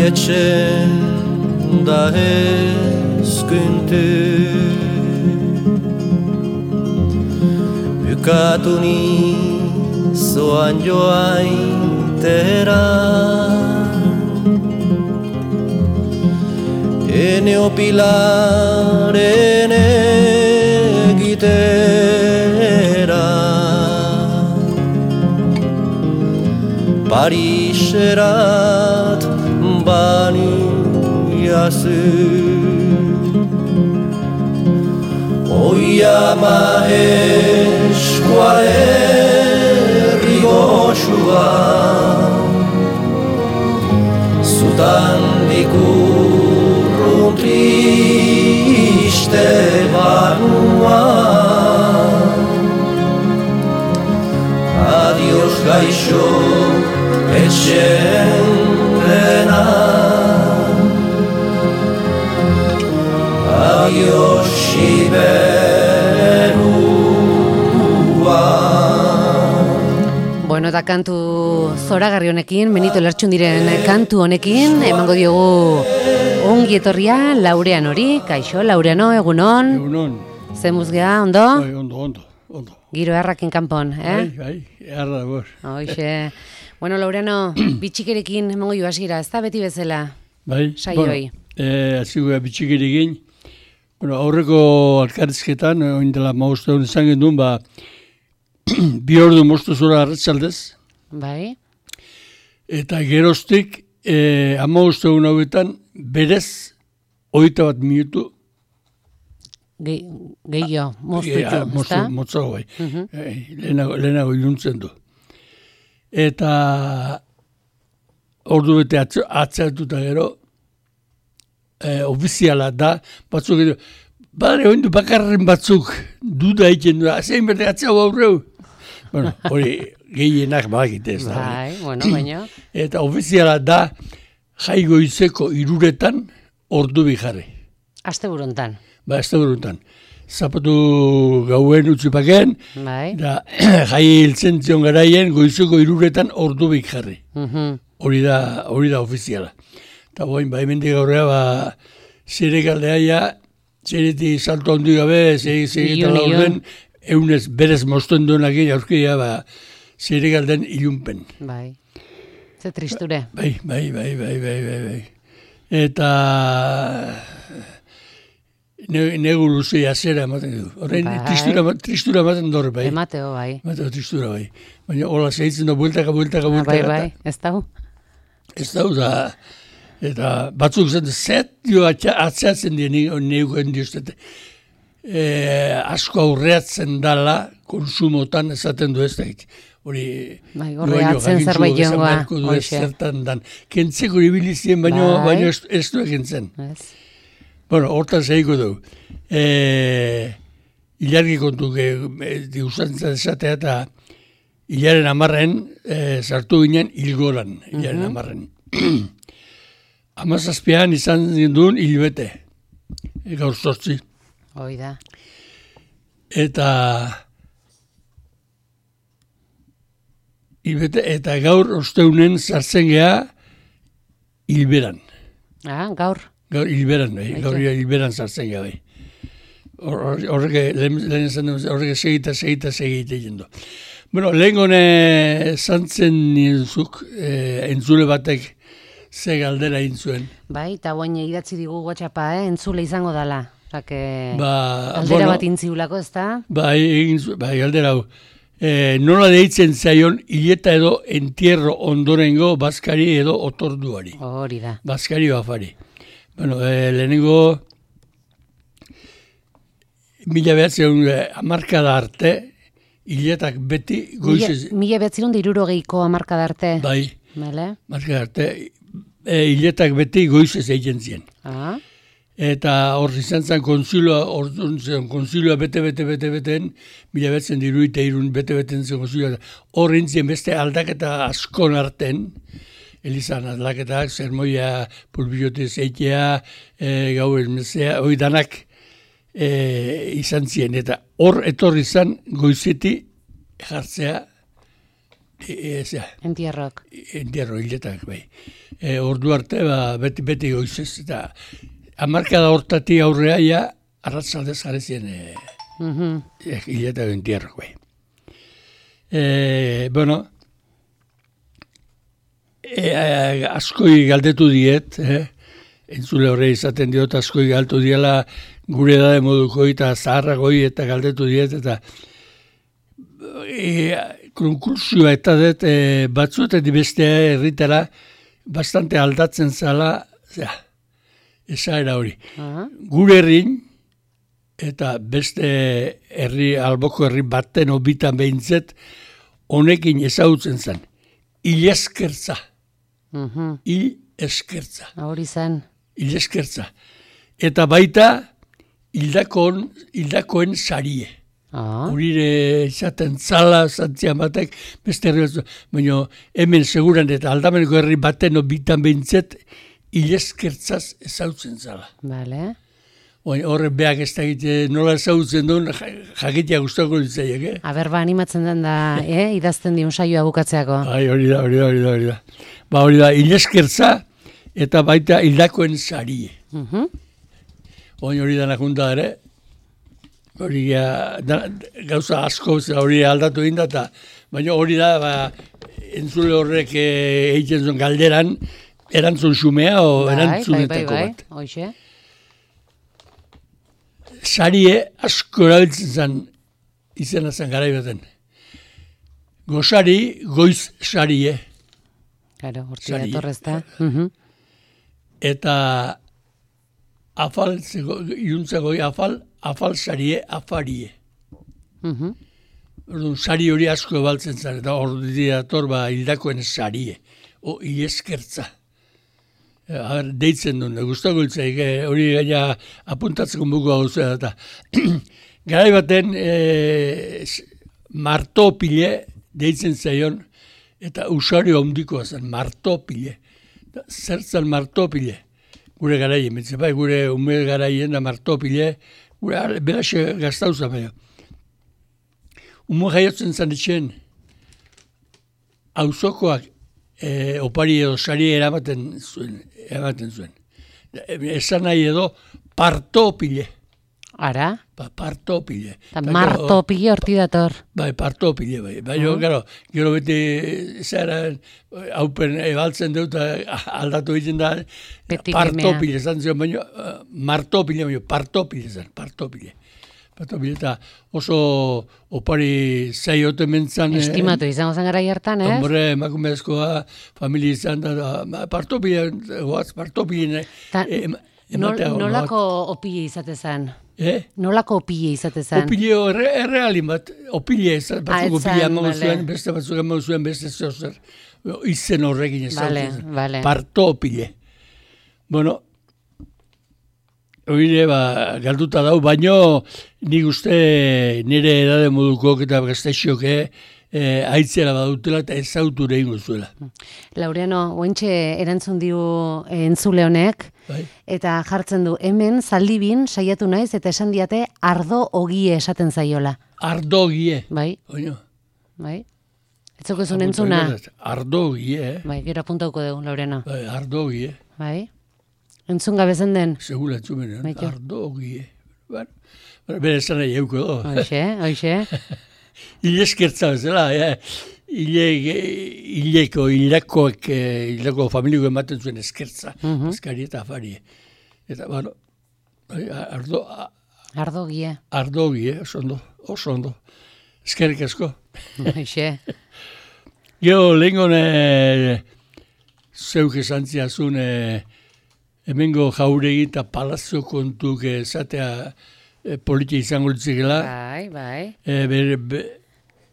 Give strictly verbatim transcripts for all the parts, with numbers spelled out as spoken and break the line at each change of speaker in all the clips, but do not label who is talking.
Etxe da ezkuntu Bukatu nizoan joaintera Ene opilaren egitera Pariserat baniazu Oia maeskoa herri goxua Zutan dikurrun triste banua Adios gaixo etxen dena Adios iberua
Bueno, eta kantu zoragarri honekin, Benito Lertxundiren kantu honekin, emango diogu ongi etorria Laureano hori. Kaixo, Laureano, egunon.
Egunon.
Zemuz gea, ondo?
Bai, ondo, ondo, ondo.
Giro errakin kanpon, eh?
Bai, bai, erra gor.
Hoxe. Bueno, Laureano, bitxikerekin emango jo hasiera, ez da beti bezala?
Bai,
saioi.
Bueno, eh, azigua bitxikerekin. Bueno, aurreko alkarrizketan, oin dela mauzte hon izan gendun, ba, bi ordu moztu zora arratzaldez.
Bai.
Eta geroztik, eh, amauzte hon hauetan, berez, oita bat minutu.
Gehio, moztu
ja,
zu, ez da?
Moztu, bai.
Uh -huh.
eh, lehenago, lehenago iluntzen du. Eta ordu bete atzeratuta gero, eh, ofiziala da, batzuk edo, badare oindu bakarren batzuk duda egiten du, zein berde atzau aurreu. Bueno, hori gehienak bagite ez da.
Bai, bueno, baina.
Eta ofiziala da, jaigoizeko iruretan ordu bijarri.
Aste buruntan.
Ba, aste buruntan. Zapatu gauen utzipaken,
bai.
Da jai hiltzen zion garaien goizeko iruretan ordu bik jarri.
Uh-huh.
Hori da, hori da ofiziala. Eta boin, ba, hemendik aurrea, ba, zere galdeaia, zereti salto handi gabe, zegetan laurden, eunez berez mozten duenak egin aurkia, ba, zere galden ilunpen.
Bai. Ze tristure.
Bai, bai, bai, bai, bai, bai, bai. Eta negu luzea zera ematen du. Horrein
bai.
tristura, tristura ematen dure, bai.
Emateo, bai.
Emateo tristura, bai. Baina hola zehitzen da bueltaka, bueltaka, bueltaka.
Bai, bai, ez dau.
Ez dau, da, eta batzuk zen, zet dio atzeatzen dien neuken dioztet. E, asko aurreatzen dala, konsumotan esaten du ez da. Hori,
bai, horreatzen zerbait joangoa.
Zertan dan. Kentzeko ibilizien, baina bai. ez, ez du egintzen.
Ez.
Bueno, hortan zehiko du. E, ilargi kontu, diusantzat esatea eta hilaren amarren, e, sartu ginen hilgoran, hilaren uh-huh. amarren. Amazazpian izan zinduen hilbete, e, gaur zortzi.
Hoi da.
Eta hilbete, eta gaur osteunen sartzen geha hilberan.
Ah, gaur.
Gaur hilberan, bai, gaur hilberan sartzen geha, bai. Horrek, lehen esan dut, horrek segita, segita, segita egin du. Bueno, lehen gone zantzen nintzuk, eh, entzule batek ze galdera egin zuen.
Bai, eta guain idatzi digu WhatsAppa, eh? Entzule izango dala. Osake,
ba,
galdera
bueno,
bat intziulako, ez da?
Bai, egin zuen, bai, galdera hau. E, nola deitzen zaion hileta edo entierro ondorengo bazkari edo otorduari.
Hori da.
Bazkari bafari. Bueno, e, lehenengo mila behatzen hamarkada arte, hiletak beti goizez...
Mila behatzen hirurogeiko hamarkada arte.
Bai,
Bale?
hamarkada arte, e, hiletak beti goizez egiten ziren.
Ah.
Eta hor izan zen konzilua, hor zen konzilua bete, bete, bete, beten, mila betzen diruite irun bete, beten zen konzilua. Hor intzien beste aldaketa askon arten, elizan aldaketak, zermoia, pulbiote zeitea, e, gau ezmezea, hori danak e, izan ziren. Eta hor etorri izan goizeti jartzea, e, e, zera,
Entierrok.
entierro hiletak, bai. E, ordu arte, ba, beti, beti goizez, eta hamarkada hortatik aurrea ja, arratzaldez jarezien e,
Mhm.
e, hiletak entierro, bai. E, bueno, e, a, askoi galdetu diet, eh? Entzule horre izaten diot, askoi galdetu diela gure edade modukoi eta zaharragoi eta galdetu diet, eta e, konkursioa eta dut e, batzuetan bestea herritara bastante aldatzen zala, zera, esaera hori.
Ah.
Gure herrin, eta beste herri, alboko herri baten obitan behintzet, honekin ezagutzen zen. Hil eskertza.
Mhm.
Hil eskertza.
Hori zen.
Hil eskertza. Eta baita, hildakoen, hildakoen sarie.
Ah.
Urire izaten zala, zantzian batek, beste herri batzu. Baina hemen seguran eta aldameneko herri baten obitan behintzet, hil eskertzaz ezagutzen zala.
Bale.
Horre beak ez da egite, nola ezagutzen duen, jakitea guztako ditzaiek, eh?
Aber, ba, animatzen den da, eh? Idazten diun saioa bukatzeako.
Ai, hori da, hori da, hori da, hori da. Ba, hori da, hil eskertza eta baita hildakoen sarie.
Mhm.
Oin hori da nakunta ere, hori ga, da, gauza asko hori aldatu egin da, eta, baina hori da, ba, entzule horrek eh, egiten zuen galderan, erantzun xumea o
Bai, bai, bai,
erantzunetako
bai.
bat.
Hoxe.
Sarie asko erabiltzen zen izena zen garaibaten. Gozari, goiz sarie.
Claro, hortik
Sarie.
datorrez da. Mhm.
Eta afal, iruntzako afal, afal sarie, afarie.
Mhm.
Orduan, sari hori asko ebaltzen zen, eta hor dator ba hildakoen sarie. O, hileskertza. A ber, deitzen duen, guztako hiltzaik, hori gaina apuntatzeko buku hau zera, eta garai baten e, martopile deitzen zaion, eta usario handikoa zen, martopile. Zertzen martopile, gure garaien, bai, gure ume garaien da martopile, gure beraxe gaztauza baina. Umo jaiotzen zen etxen, auzokoak e, opari edo sari eramaten zuen, eramaten zuen. Esan nahi edo partopile.
Ara?
Ba, partopile.
Eta martopile horti dator.
Bai, partopile, bai. Bai, uh -huh. Gero, gero beti zara haupen ebaltzen dut aldatu egiten da,
Beti
partopile zan zion, baina uh, martopile, baina partopile zan, partopile. Partopile eta oso opari zaiote mentzan.
Estimatu izango zen gara hartan, ez?
Hombre, emakumezkoa, familia izan da, da partopile, goaz, partopile.
Ta,
eh,
nol, nolako opile izate zen?
Eh?
Nolako opile izate zen?
Opile erre, errealin bat, opile ez, batzuk opile amago
vale.
zuen, beste batzuk amago zuen, beste zozer, izen horrekin ez
Vale,
zautzen.
vale.
Parto opile. Bueno, hori ba, galduta dau, baino nik uste nire edade modukok eta gaztexok eh, aitzera badutela eta ezautu egingo zuela.
Laureano, ointxe erantzun diu eh, entzule honek,
Bai?
eta jartzen du, hemen zaldibin saiatu naiz eta esan diate ardo ogie esaten zaiola.
Ardogie.
Bai,
Oino.
bai. Etzokezun entzuna?
Ardogie, eh?
Bai, gero apuntauko dugu, Laureano.
Bai, ardogie.
Bai. Entzun gabezen den?
Segura entzumenean,
Baito.
ardogie. Bueno, bere esan nahi euko do.
Hoxe, hoxe.
Ile eskertza bezala, ja. Ile, ileko, hilakoek, hilako familiko ematen zuen eskertza.
Mhm.
Eskari eta afari. Eta, bueno, ardo,
Ardogie.
ardogi, eh, oso ondo, oso ondo. Eskerrik asko.
Hoxe.
Gero, lehengon e, zeuk esan ziazun e, hemengo jauregi eta palazzo kontuk esatea e, politia izango litzikela.
Bai, bai.
E, ber, be,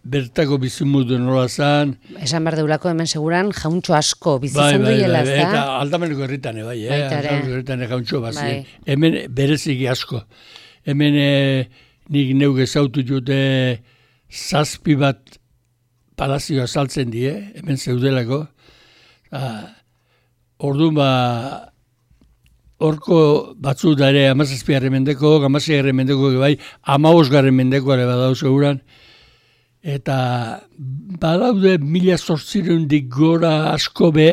bertako bizumudu nola zan.
Esan behar deulako hemen seguran jauntxo asko
Bai,
bizitzen
bai,
duela,
bai,
ezta?
eta aldameneko herritan, bai, eh?
Baita ere.
Aldameneko herritan jauntxo bazien.
Bai.
Hemen bereziki asko. Hemen e, nik neuk ezautu jute zazpi bat palazioa saltzen die, hemen zeudelako. Ah, orduan ba, horko batzu da ere amazazpigarren mendeko, amazazpigarren mendeko, bai, amabosgarren mendeko ere badau seguran. Eta badaude mila zortzirundik gora asko be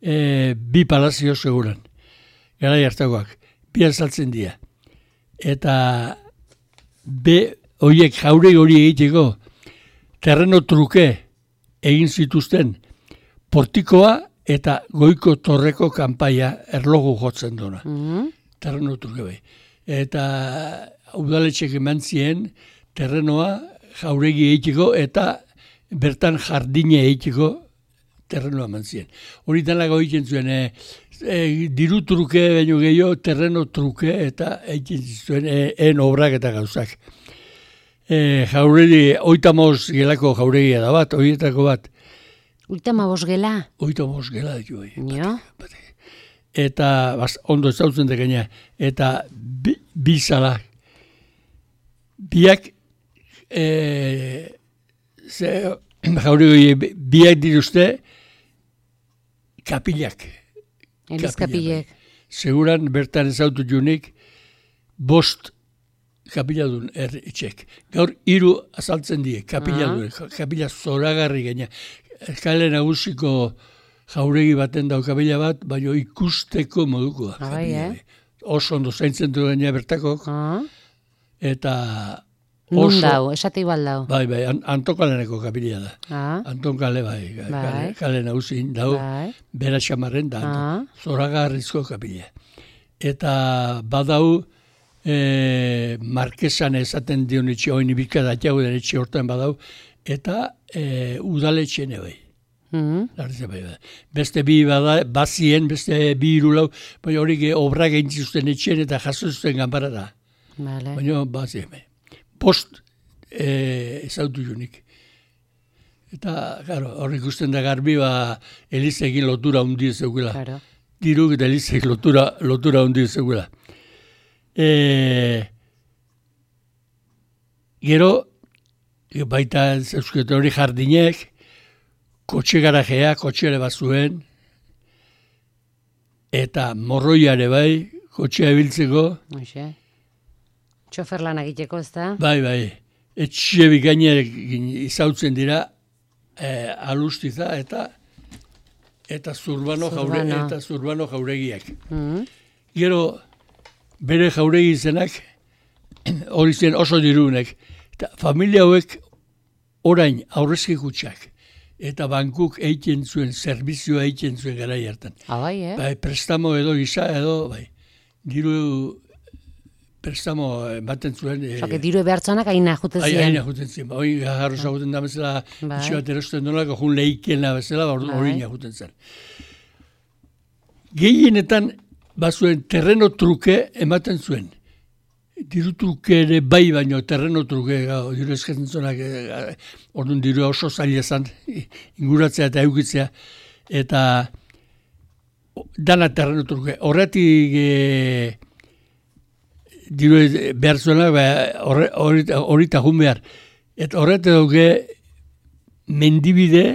e, bi palazio seguran. Garai hartakoak, bi azaltzen dira. Eta be horiek jaure hori egiteko terreno truke egin zituzten portikoa eta goiko torreko kanpaia erlogu jotzen duna.
Mhm.
Terreno truke bai. Eta udaletxek eman zien terrenoa jauregi egiteko eta bertan jardine egiteko terrenoa eman zien. Hori talago egiten zuen, e, e, diru truke baino gehiago terreno truke eta egiten zuen e, en obrak eta gauzak. E, jauregi, oita moz gelako jauregia da bat, horietako bat.
Ultima bos gela?
Oita moz gela ditu bai.
Jo?
Eta bas, ondo ezautzen dekenia. Eta bi, bi zala. Biak e, ze, jauregi, biak diruzte kapilak.
Eliz
Kapila,
kapilek.
bai. Seguran bertan ezautu junik bost kapila duen er, etxek. Gaur hiru azaltzen die, kapila
Ah.
duen, kapila zoragarri gaina. Kale nagusiko jauregi baten dau kapila bat, baina ikusteko modukoa.
Ah, bai,
kapila,
eh?
bai. Oso ondo zaintzen du gaina bertakok,
Ah.
eta
Nun
oso...
dau, esate igual dau.
Bai, bai, an, Antokaleneko kapila da.
Ah.
Anton kale, bai,
Bai.
kale, kale nagusin dau,
Bai.
bera xamarren da,
Ah.
zoragarrizko kapila. Eta badau, e, Markesan esaten dion etxe, oin ibika datiago den etxe hortan badau, eta e, udaletxene bai.
Mhm.
Larriza bai, bai. Beste bi bada, bazien, beste bi irulau, baina hori ge obra gaintzizuten etxen eta jaso zuten ganbara da.
Vale.
Baina bazien bai. Post e, ezautu junik. Eta, claro, hori ikusten da garbi, ba, Elizekin lotura hundi zeugela.
Claro.
Diruk eta Elizek lotura, lotura hundi zeugela. E, gero, baita zeuzket hori jardinek, kotxe garajea, kotxeare bat zuen, eta morroiare bai, kotxea ebiltzeko,
Hoxe. Txofer lan egiteko, ez da?
bai, bai, etxe bikainek izautzen dira, e, alustiza eta eta zurbano, jaure,
Zurbano.
eta zurbano jauregiak.
Mhm.
Gero, bere jauregi izenak, hori zen oso dirunek, eta familia hauek orain aurrezki kutxak, eta bankuk egiten zuen, zerbizioa egiten zuen garai hartan.
Ah, bai, eh?
Bai, prestamo edo gisa edo, bai, diru prestamo ematen zuen. E,
Osa, que diru behartzanak aina jute
Ai,
ziren.
aina juten zen, hori jarro zaguten da bezala,
Bai.
itxe bat erosten dolako, jun leikena bezala, hori
Bai.
ina juten zen. Gehienetan, bazuen terreno truke ematen zuen. Diru truke ere bai baino, terreno truke, gau, diru eskatzen zuenak, e, orduan diru oso zaila zan, inguratzea eta eukitzea, eta dana terreno truke. Horretik e, diru behar zuenak, hori eta jun behar. Eta horretik dauke mendibide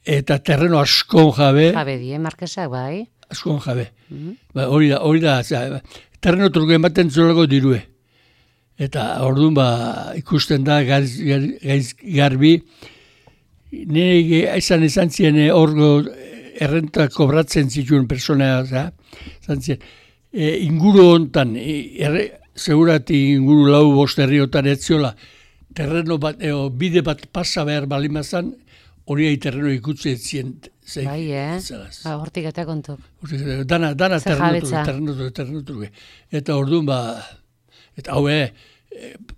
eta terreno askon jabe,
Jabe die, markesak, bai.
askon jabe.
Mhm.
Ba, hori da, hori da, zera, terreno truke ematen zuelako dirue. Eta orduan ba, ikusten da gaiz, gaiz garbi, nire izan izan zien orgo errenta kobratzen zituen personea, za, izan zien, e, inguru hontan, e, erre, segurati inguru lau bost herriotan etziola, terreno bat, eo, bide bat pasa behar balimazan, hori ai terreno ikutze etzien. Zeik,
Bai, eh?
zelaz.
Ba, hortik eta kontuk.
Hortik, Dana, dana
Zer
terreno
jabetza.
truke, terreno truke, terreno truke. Eta orduan ba, eta hau, eh,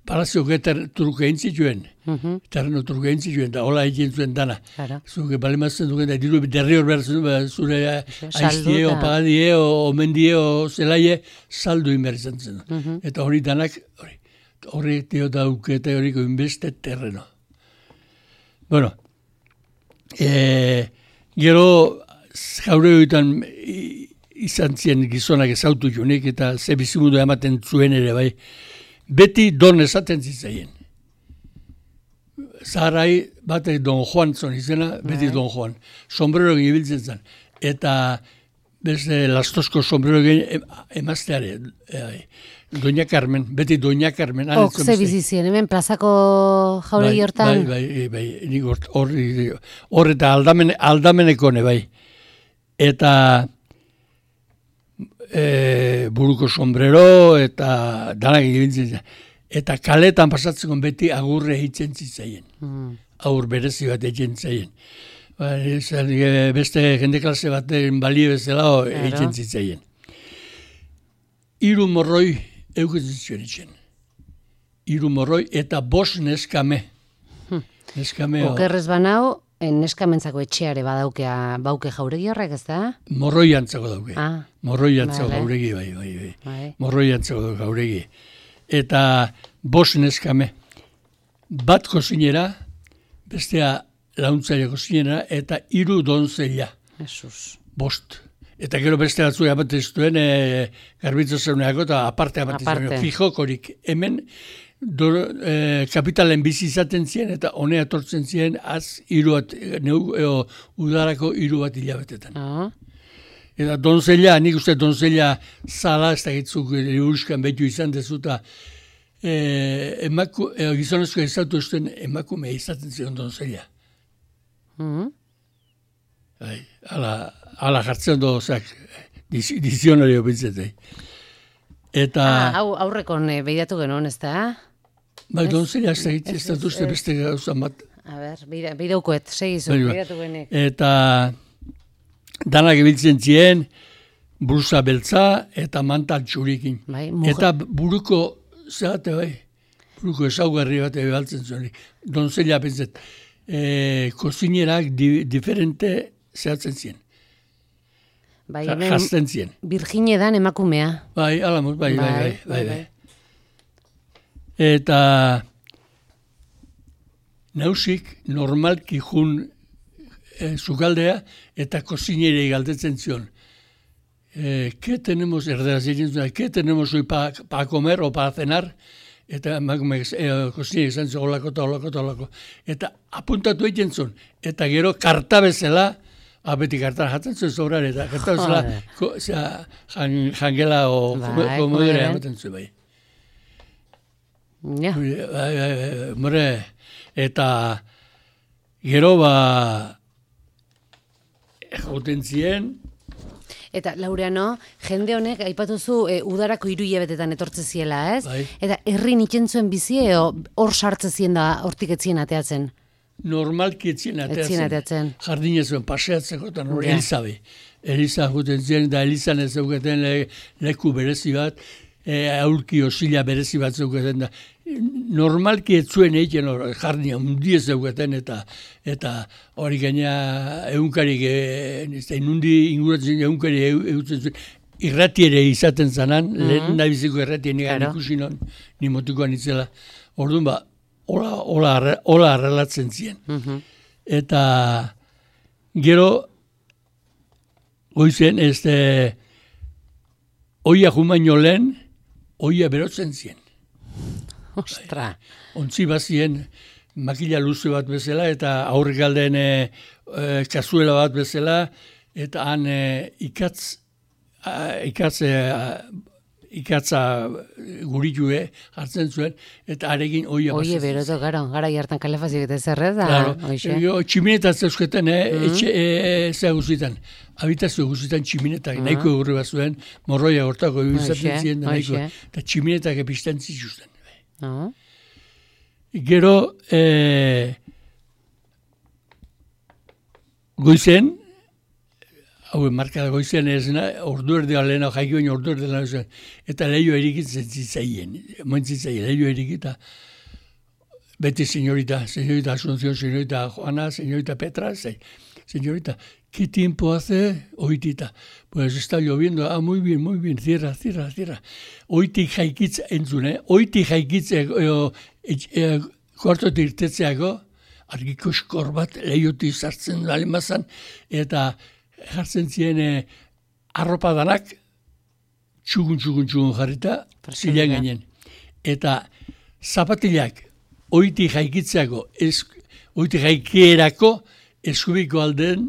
palazioko eta truke egin zituen,
Mhm.
terreno truke egin zituen, da hola egin zuen dana.
Claro.
Zuke balimazten duken, da diru derri hor behar zuen, ba, zure aiztie, o
Salduta.
pagadie, o omendie, o zelaie, saldu inber izan zen.
Mhm.
Eta hori danak, hori, hori dio dauke eta horiko inbeste terreno. Bueno, e, gero jaure horietan izan zien gizonak ezautu jonik eta ze bizimundu ematen zuen ere bai. Beti don esaten zitzaien. Zaharai batek Don Juan zon izena, beti
Bai.
Don Juan. Sombrero ibiltzen zen. Eta beste lastozko sombrero egin emazteare. E, Doña Carmen, beti Doña Carmen. han
Ok,
etzuen
ze
beste.
bizizien, hemen plazako jauregi hortan?
Bai, bai, bai, nik hor- horri, hor eta aldamen, aldamenekone, bai. Eta e, buruko sombrero eta danak ibiltzen zen. Eta kaletan pasatzeko beti agurre egiten zitzaien.
Mm.
Agur berezi bat egiten zitzaien. Ba, esan, e, beste jende klase baten balie bezala egiten zitzaien. Hiru morroi eukitzen zuen itxen. Hiru morroi eta bost neskame. Neskame o-
Okerrez banau, en neskamentzako etxeare badaukea bauke jauregi horrek, ez da?
morroi antzako dauke.
Ah,
Morroi antzako
Vale.
gauregi, bai, bai, bai.
bai.
Morroi antzako dauke gauregi. Eta bost neskame. Bat kozinera, bestea launtzaile kozinera, eta hiru donzella.
Jesus.
Bost. Eta gero beste batzu amaten zuen e, garbitzo zeuneako eta aparte amaten
Aparte.
zuen. Fijokorik hemen do, e, kapitalen bizi izaten ziren eta honea etortzen ziren az hiru bat, neu, eo, udarako hiru bat hilabetetan.
Ah,
Eta donzella, nik uste donzella zala, ez da gitzuk euruskan betu izan dezuta, e, emaku, e, gizonezko ezautu esten emakume izaten ziren donzella.
mhm.
Bai, ala, ala jartzen du, ozak, diz- dizionario bintzete. Eta,
Ah, hau aurrekon eh, beidatu genuen, ez da?
bai, donzella ez da gitzen, ez
ez,
da duzte
ez.
beste gauza bat.
A ber, beida- beidaukoet, segizu,
Bai, bai.
beidatu genek.
Eta danak ibiltzen ziren, brusa beltza eta mantal txurikin.
Bai, mujer-
Eta buruko, zehate bai, buruko ezaugarri bat ebaltzen zuen. Donzella pentzet, e, kozinerak di, diferente zehatzen ziren.
Bai, hemen
Jazten ziren.
Virginia dan emakumea.
Bai, alamuz, bai, bai, bai,
Bai,
bai,
bai,
bai. Eta nausik normalki jun e, zukaldea eta kozinere galdetzen zion. Eh, ¿Qué tenemos, erderaz egin zuen, ¿qué tenemos hoy para pa comer o para cenar? Eta emakumeak e, kozinere izan zuen, olako eta olako eta olako. Eta apuntatu egiten zuen. Eta gero karta bezala, abeti kartan jatzen zuen zobrar, eta karta bezala,
Joder.
ko, zera, jan, jangela o
Bai,
komodera
komodera.
ematen zuen bai.
Ja.
Bai, bai, bai, more, eta gero ba, joten zien,
Eta Laureano, jende honek aipatuzu e, udarako hiru hilabetetan etortze ziela, ez?
Bai.
Eta herri nitzen zuen bizi edo hor sartze zien da hortik etzien ateatzen.
normalki etzien ateatzen.
Etzien ateatzen.
Jardine zuen paseatzeko, eta nore,
Ja.
Elizabe. Eliza joten zien, da Elizan ez zeuketen le, leku berezi bat, e, aurki osila berezi bat zeuketen da. Normalki ez zuen egiten hor, jardina undi ez zeuketen, eta eta hori gaina egunkarik, e, inundi inguratzen egunkari eutzen zuen, irrati ere izaten zanan, lehen nahi biziko irrati negan
Claro.
ikusi non, ni motikoan itzela. Orduan ba, hola, hola, arre- hola arrelatzen ziren.
Mhm.
Eta gero goizen ez de oia jumaino lehen oia berotzen zien.
Ostra.
Ontzi bazien makila luze bat bezala eta aurrik aldean e, e, kazuela bat bezala eta han e, ikatz a, ikatz e, a, ikatza guritue hartzen zuen eta arekin oia
Oie,
bazen.
beroto, garo, gara hartan kalefazioak eta zer, ez da?
Claro,
Hoxe.
yo tximinetaz eusketen, eh, etxe, e, zea guzitan, habitazio guzitan tximinetak, nahiko egurri bat zuen, morroia hortako izaten
Hoxe,
ziren, da nahiko,
hoxe.
eta tximinetak epizten zituzten.
No?
Gero, e, goizen, hau marka goizean ez na, ordu erdi alena, jaiki baino ordu erdi alena, eta lehio erikitzen zitzaien, moentzitzaien, lehio erikita, beti señorita, señorita Asunción, señorita Juana, señorita Petra, se, señorita, ¿qué tiempo hace? Oitita, pues está lloviendo, ah, muy bien, muy bien, cierra, cierra, cierra. Oitik jaikitz entzun, eh? Oitik jaikitz, e, e, e, kuartotik irtetzeako, argiko eskor bat lehiotik sartzen dalemazan, eta jartzen ziren eh, arropa danak, txugun, txugun, txugun jarrita, zilean gainen. Eta zapatilak, oiti jaikitzeako, oiti jaikierako, eskubiko alden,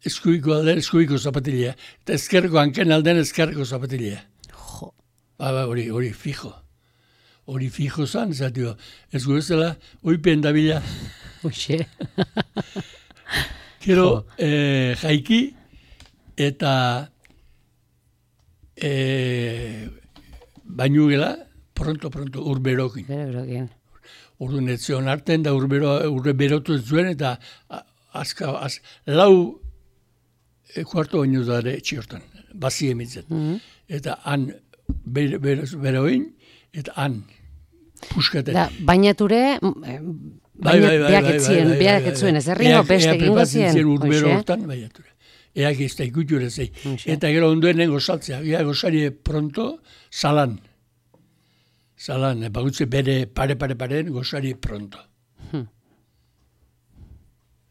eskubiko alden, eskubiko zapatilea. Eta ezkerreko hanken alden, ezkerreko zapatilea.
Jo.
Ba, ba, hori, hori, fijo. Hori fijo zan, zatio, ez guztela, oipen dabila.
Uxe.
Gero, eh, jaiki, eta eh, bainu gela, pronto, pronto, urberokin.
Urberokin.
Urdu netzion arten, da urbero, urbe berotu zuen, eta azka, az, lau e, kuarto baino dara etxiortan, bazi emitzen. Mm-hmm. Eta han ber, ber, beroin, eta han puskaten.
Da, bainature, beak etzien, beak etzuen, ez erringo beste egingo zien.
Eak urbero hortan, bainature. Eak ez da ikuture zei. Eta gero onduen nengo saltzea, ea gozari pronto, salan. Salan, bagutze bere pare pare paren, gozari pronto.
Hmm.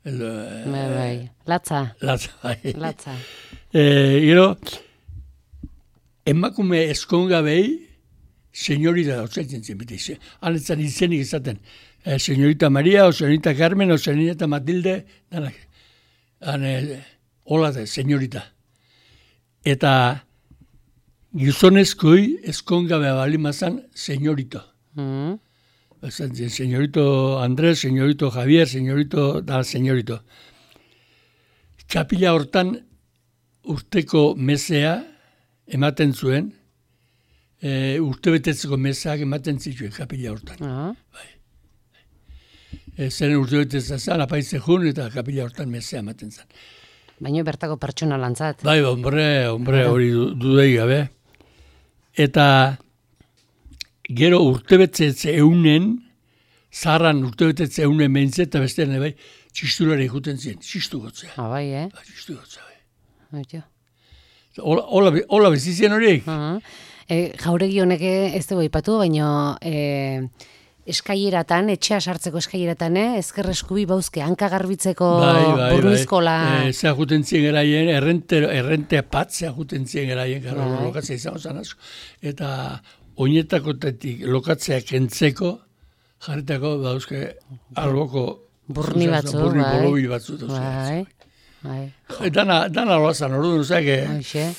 El,
bai, bai. Latza.
Latza, bai.
Latza.
Eh, gero, emakume eskonga behi, señorita da, otzaitzen zen, beti, hanetzan izenik izaten, eh, señorita Maria, o señorita Carmen, o señorita Matilde, danak, hane, hola da, señorita. Eta gizonezkoi eskongabe balimazan señorito.
Mm.
Señorito Andrés, señorito Javier, señorito, da, señorito. Kapila hortan urteko mesea ematen zuen, e, urte betetzeko meseak ematen zituen kapila hortan.
Uh-huh.
Bai. E, zeren urte betetzea zan, apaitze jun eta kapila hortan mesea ematen zan.
Baina bertako pertsona lantzat.
Bai, hombre, hombre, hori dudei gabe. Eta gero urtebetetze eunen, zaharran urtebetetze eunen behintzet, eta bestean bai, txisturari juten ziren, txistu gotzea.
Ah, bai, eh?
Ba, txistu gotzea, bai.
Aitio.
Hola, hola, hola bezizien horiek?
Uh-huh. E, jauregi honek ez dugu ipatu, baina e, eskaileratan, etxea sartzeko eskaileratan, eh? Ezker eskubi bauzke, hanka garbitzeko
bai, bai,
burruizkola.
Bai. E, zea juten zien geraien, errente, errente pat zea juten zien geraien, gara
bai.
Lokatzea izan zan asko. Eta oinetakotetik lokatzea kentzeko, jarritako dauzke alboko
burni batzu,
burni
bai.
bolobil batzu.
Bai, bai.
Dana, dana loazan, orduan, ozak,
Hoxe.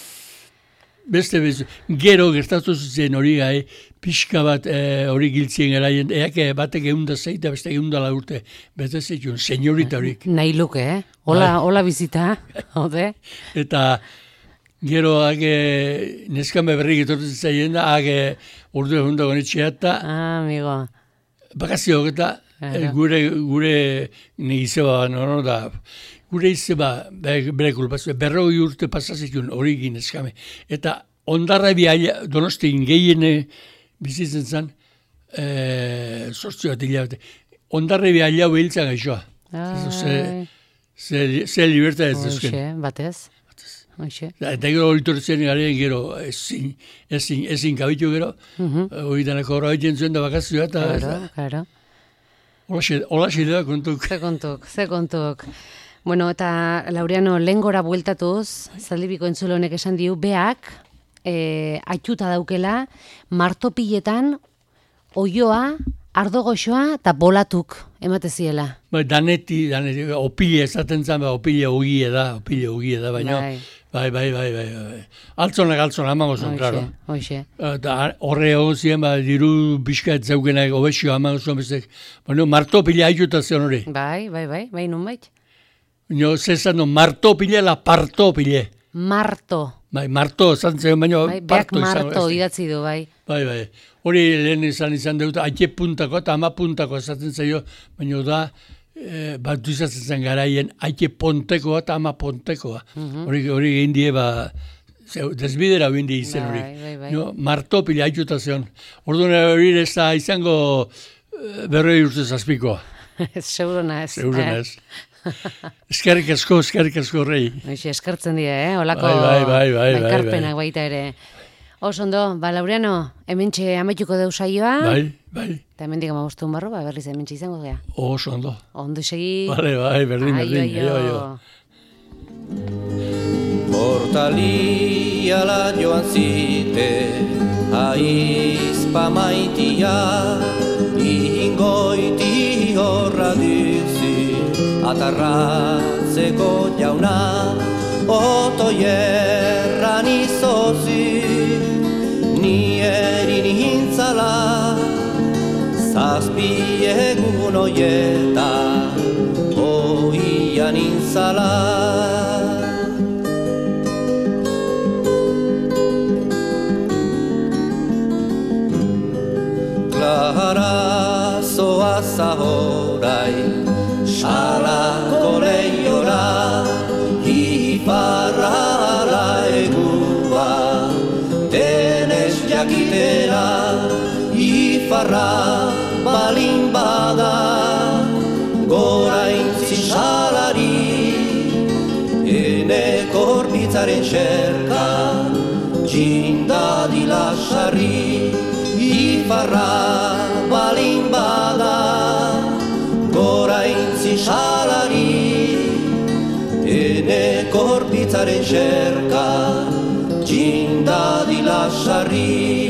beste bez, gero gertatu zen hori gai, pixka bat hori e, giltzien geraien, eak batek egun da zeita, beste egun da urte, beste zeitun, senyorita horik.
Nahi luke, eh? Hola,
bai.
Hola bizita, hode?
Eta gero hake neskame berrik etortzen zaien da, hake urdu egun dago netxea eta
Ah, amigo.
bakazio eta
Claro.
gure, gure negizeba, no, no, da, gure izeba, bere kulpazio, berroi urte pasazitun hori egin eskame. Eta ondarra biaila, donostin gehiene bizitzen zen, e, sortzio bat hilabete. Ondarra biaila behiltza gaixoa. Ze, ze, ze libertad ez duzken.
Hoxe, batez. Hoxe.
Eta gero horitortzen garen gero ezin, ezin, ezin kabitu gero,
Uh-huh.
hori danako horra egiten zuen da bakazioa, eta
Claro, claro.
hola xidea kontuk.
Ze kontuk, ze kontuk. Bueno, eta Laureano, lehengora bueltatuz, zaldibiko entzulo honek esan diu, beak, e, aituta daukela, martopiletan, oioa, ardogoxoa eta bolatuk emate ziela.
Bai, daneti, daneti, opile esaten zen, ba, opile ogie da, opile ogie da, baina,
Bai.
bai, bai, bai, bai, bai. Altzonak, altzonak, amango zen, klaro.
Hoxe,
Eta horre egon ziren, ba, diru pixka ez zeugenak, obesio amango zen, bestek, baina, martopile aituta zen hori.
Bai, bai, bai, bai, nun bait?
Baina, zezan, no, martopile, la partopile.
Marto.
Bai, marto, esan zen, baina,
Bai, beak
parto izango.
marto
ez.
idatzi du, bai.
Bai, bai. Hori lehen izan izan dut, aite puntako eta ama puntako esaten zaio, baina da, e, bat duizatzen zen garaien, aike pontekoa eta ama pontekoa. Hori mm-hmm. hori egin die, ba, zeu, desbidera egin die izen hori.
Bai, bai, bai.
No, martopila aituta zion. Orduan hori ez da izango e, berroi urte zazpikoa.
Seguruna ez.
Seguruna ez. Eskerrik asko, eskerrik asko rei.
Hoxe, eskertzen dira, eh? Olako
bai, bai, bai, bai,
ekarpenak
bai.
baita ere. Oso ondo, ba, Laureano, hementxe amaituko deu saioa.
Bai, bai.
Eta hemendik amabostun barro, ba, berriz hementxe izango gea.
Oso ondo.
Ondo segi.
Bale, bai, berdin,
Aio,
berdin.
aio.
Aio,
Portalia la joan zite, aizpa maitia, ingoiti horra dizi, atarratzeko jauna, otoierran izozi, ni erin hintzala, zazpi egun oieta, oian intzala. Klara zoaz ahorai, salako lehiora, iparra ala egua, denez jakitera, iparra balin bada, gora intzi salari, ene korpitzaren xerka, txindadila sarri, iparra balin bada, gora intzi salari, ene korpitzaren xerka, txindadila sarri.